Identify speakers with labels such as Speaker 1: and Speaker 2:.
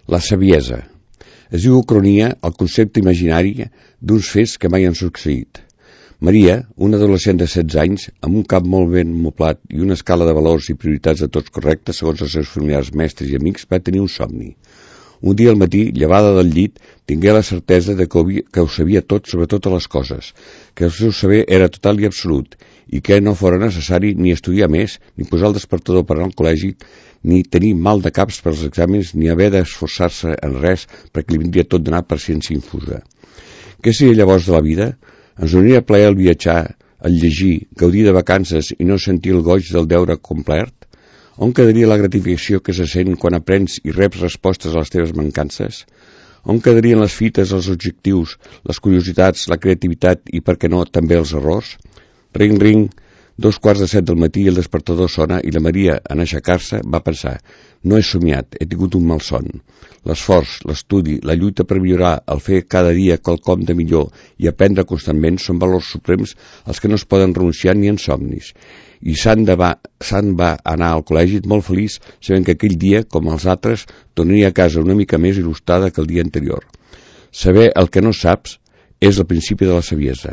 Speaker 1: La saviesa. Es diu ucronia el concepte imaginari d'uns fets que mai han succeït. Maria, una adolescent de 16 anys, amb un cap molt ben moblat i una escala de valors i prioritats de tots correctes segons els seus familiars, mestres i amics, va tenir un somni. Un dia al matí, llevada del llit, tingué la certesa de que ho sabia tot sobre totes les coses, que el seu saber era total i absolut, i que no fora necessari ni estudiar més, ni posar el despertador per anar al col·legi, ni tenir mal de caps pels exàmens, ni haver d'esforçar-se en res perquè li vindria tot d'anar per ciència infusa. Què seria llavors de la vida? Ens donaria plaer el viatjar, el llegir, gaudir de vacances i no sentir el goig del deure complert? On quedaria la gratificació que se sent quan aprens i reps respostes a les teves mancances? On quedarien les fites, els objectius, les curiositats, la creativitat i, per què no, també els errors? Ring, ring, 7:15 del matí i el despertador sona i la Maria, en aixecar-se, va pensar: no he somiat, he tingut un malson. L'esforç, l'estudi, la lluita per millorar, el fer cada dia quelcom de millor i aprendre constantment són valors suprems als que no es poden renunciar ni en somnis. I Sant va anar al col·legi molt feliç sabent que aquell dia, com els altres, tornaria a casa una mica més il·lustrada que el dia anterior. Saber el que no saps és el principi de la saviesa.